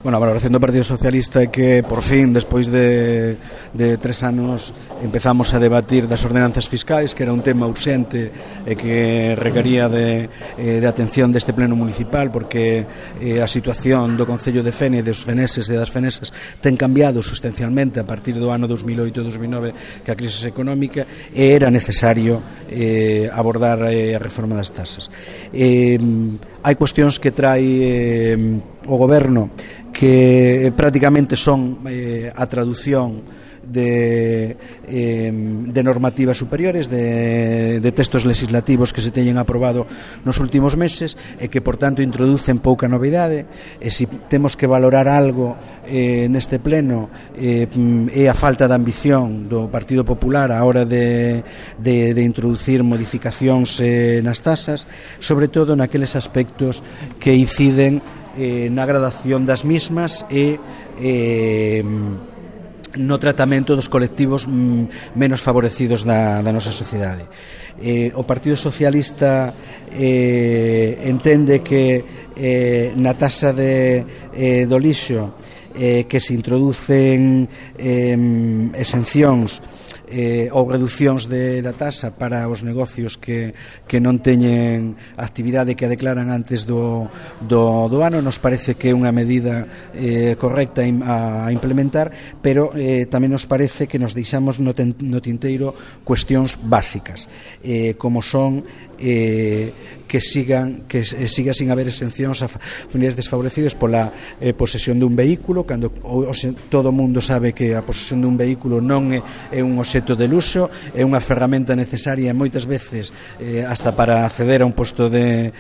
Bueno, a valoración do Partido Socialista é que, por fin, despois de 3 anos, empezamos a debatir das ordenanzas fiscais, que era un tema urxente e que requería de atención deste pleno municipal, porque a situación do Concello de Fene, dos feneses e das fenesas, ten cambiado sustancialmente a partir do ano 2008-2009, que a crise económica, e era necesario abordar a reforma das tasas. Hai cuestións que trae o Goberno que prácticamente son a traducción de normativas superiores, de textos legislativos que se teñen aprobado nos últimos meses e que, por tanto, introducen pouca novidade. E se temos que valorar algo neste pleno é a falta de ambición do Partido Popular a hora de introducir modificacións nas tasas, sobre todo naqueles aspectos que inciden na gradación das mismas e no tratamento dos colectivos menos favorecidos da nosa sociedade. O Partido Socialista entende que na tasa do lixo que se introducen exencións ou reducións da tasa para os negocios que non teñen actividade que a declaran antes do ano, nos parece que é unha medida correcta a implementar, pero tamén nos parece que nos deixamos no tinteiro cuestións básicas, como son que siga sin haber exencións a familias desfavorecidas pola posesión dun vehículo, cando todo o mundo sabe que a posesión dun vehículo non é un obxecto de luxo, é unha ferramenta necesaria moitas veces hasta para acceder a un posto de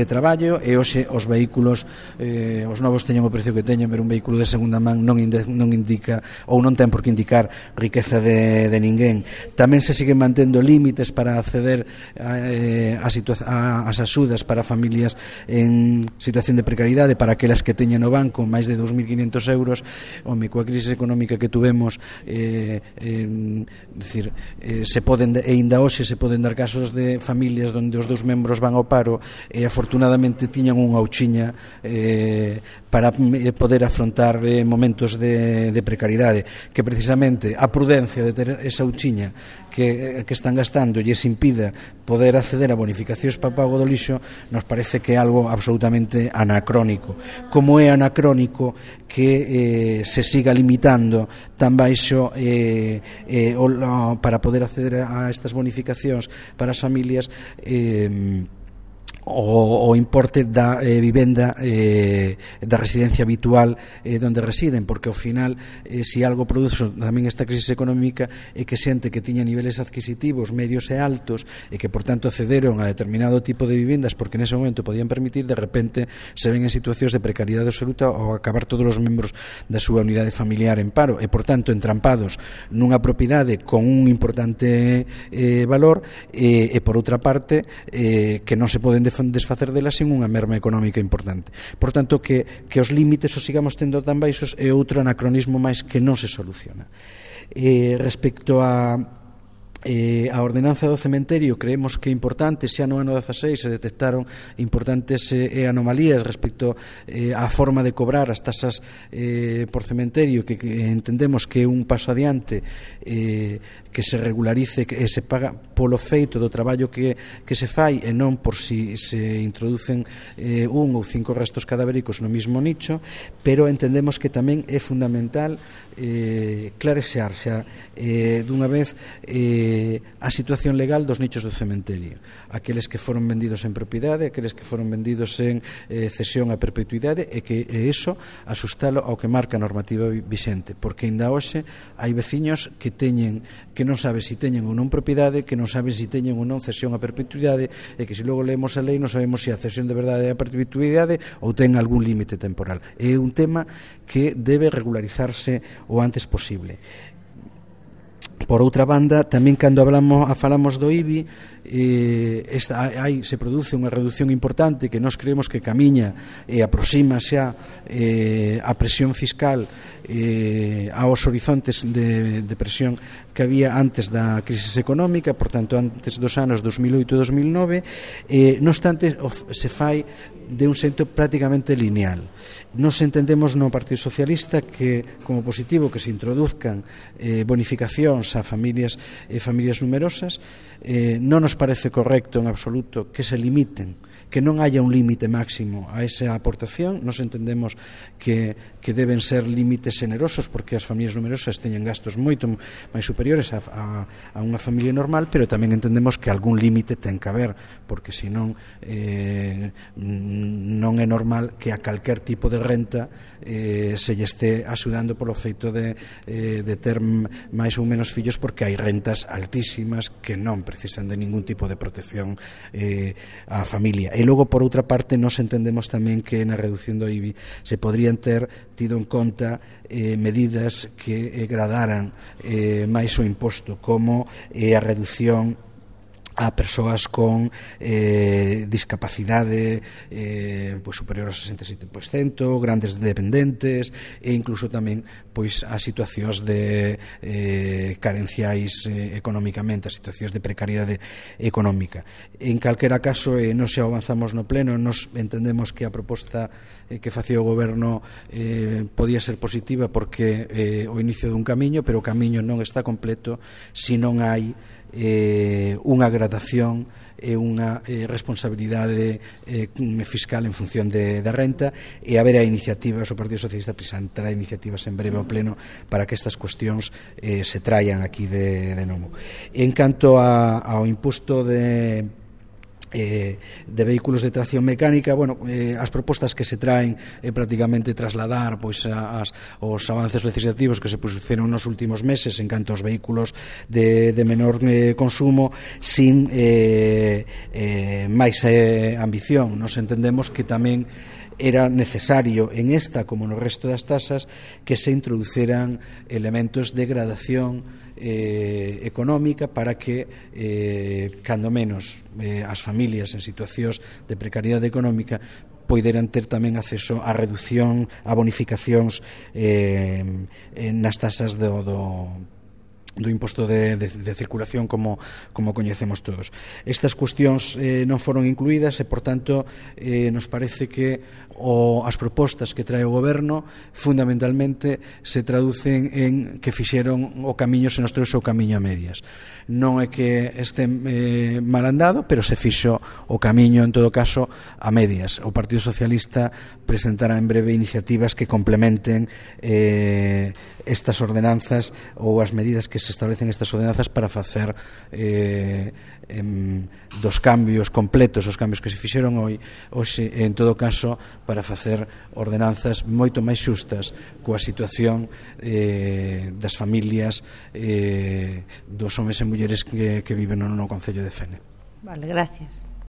traballo, e hoxe os vehículos os novos teñen o precio que teñen, pero un vehículo de segunda man non indica ou non ten por que indicar riqueza de ninguén. Tamén se siguen mantendo límites para acceder as axudas para familias en situación de precariedade, para aquelas que teñen no banco máis de 2.500 euros. Home, coa crise económica que tuvemos, se poden, e ainda hoxe se poden dar casos de familias onde os dous membros van ao paro e afortunadamente tiñan unha ouchiña para poder afrontar momentos de precariedade, que precisamente a prudencia de ter esa ouchiña que están gastando lles impida poder acceder a bonificacións para pago do lixo, nos parece que é algo absolutamente anacrónico. Como é anacrónico que se siga limitando tan baixo para poder acceder a estas bonificacións para as familias o importe da vivenda da residencia habitual donde residen, porque ao final se algo produce tamén esta crisis económica é que xente que tiña niveles adquisitivos medios e altos e que por tanto accederon a determinado tipo de vivendas porque nese momento podían permitir, de repente se ven en situacións de precariedade absoluta ou acabar todos os membros da súa unidade familiar en paro e por tanto entrampados nunha propiedade con un importante valor e por outra parte que non se poden desfacer delas sin unha merma económica importante. Por tanto, que os límites os sigamos tendo tan baixos é outro anacronismo máis que non se soluciona. Respecto a ordenanza do cementerio, creemos que é importante. Xa no ano 16 se detectaron importantes anomalías respecto á forma de cobrar as tasas por cementerio, que entendemos que é un paso adiante, que se regularice e se paga polo feito do traballo que se fai e non por si se introducen 1 ou 5 restos cadavéricos no mismo nicho, pero entendemos que tamén é fundamental clarexar xa dunha vez a situación legal dos nichos do cementerio, aqueles que foron vendidos en propiedade, aqueles que foron vendidos en cesión a perpetuidade, e que iso asustalo ao que marca a normativa vixente, porque ainda hoxe hai veciños que non sabe se teñen ou non propiedade, que non sabe se teñen ou non cesión a perpetuidade, e que se logo leemos a lei non sabemos se a cesión de verdade é a perpetuidade ou ten algún límite temporal. É un tema que debe regularizarse o antes posible. Por outra banda, tamén cando falamos do IBI, se produce unha reducción importante que nós creemos que camiña e aproxima xa a presión fiscal aos horizontes de presión que había antes da crisis económica, por tanto antes dos anos 2008 e 2009. Non obstante, se fai de un xeito prácticamente lineal. Nos entendemos no Partido Socialista que como positivo que se introduzcan bonificacións a familias numerosas. Non nos parece correcto en absoluto que se limiten, que non haya un límite máximo a esa aportación. Nos entendemos que deben ser límites generosos, porque as familias numerosas teñen gastos moito máis superiores a unha familia normal, pero tamén entendemos que algún límite ten que haber, porque senón non é normal que a calquer tipo de renta se lle esté axudando polo feito de ter máis ou menos fillos, porque hai rentas altísimas que non precisan de ningún tipo de protección á familia. E logo, por outra parte, nos entendemos tamén que na reducción do IBI se podrían ter tido en conta medidas que gradaran máis o imposto, como a reducción a persoas con discapacidade superior ao 67%, grandes dependentes, e incluso tamén a situacións de carenciais económicamente, a situacións de precariedade económica. En calquera caso, non se avanzamos no pleno, nos entendemos que a proposta que facía o Goberno podía ser positiva, porque o inicio dun camiño, pero o camiño non está completo se non hai unha gradación e unha responsabilidade fiscal en función da renta, e haber a iniciativas, o Partido Socialista presentará iniciativas en breve ao pleno para que estas cuestións se traian aquí de novo. En canto ao imposto de vehículos de tracción mecánica, as propostas que se traen é prácticamente trasladar os avances legislativos que se puxeron nos últimos meses en canto aos vehículos de menor consumo, sin máis ambición. Nos entendemos que tamén era necesario en esta, como no resto das tasas, que se introduceran elementos de gradación económica para que cando menos as familias en situacións de precariedade económica poideran ter tamén acceso á reducción, a bonificacións nas tasas do imposto de circulación como coñecemos todos. Estas cuestións non foron incluídas e, por tanto, nos parece que as propostas que trae o Goberno fundamentalmente se traducen en que fixeron o camiño, se nos trouxe o camiño a medias. Non é que este mal andado, pero se fixo o camiño, en todo caso, a medias. O Partido Socialista presentará en breve iniciativas que complementen estas ordenanzas ou as medidas que se establecen estas ordenanzas para facer dos cambios completos, os cambios que se fixeron hoxe, en todo caso, para facer ordenanzas moito máis xustas coa situación das familias, dos homes e mulleres que viven no concello de Fene. Vale, gracias.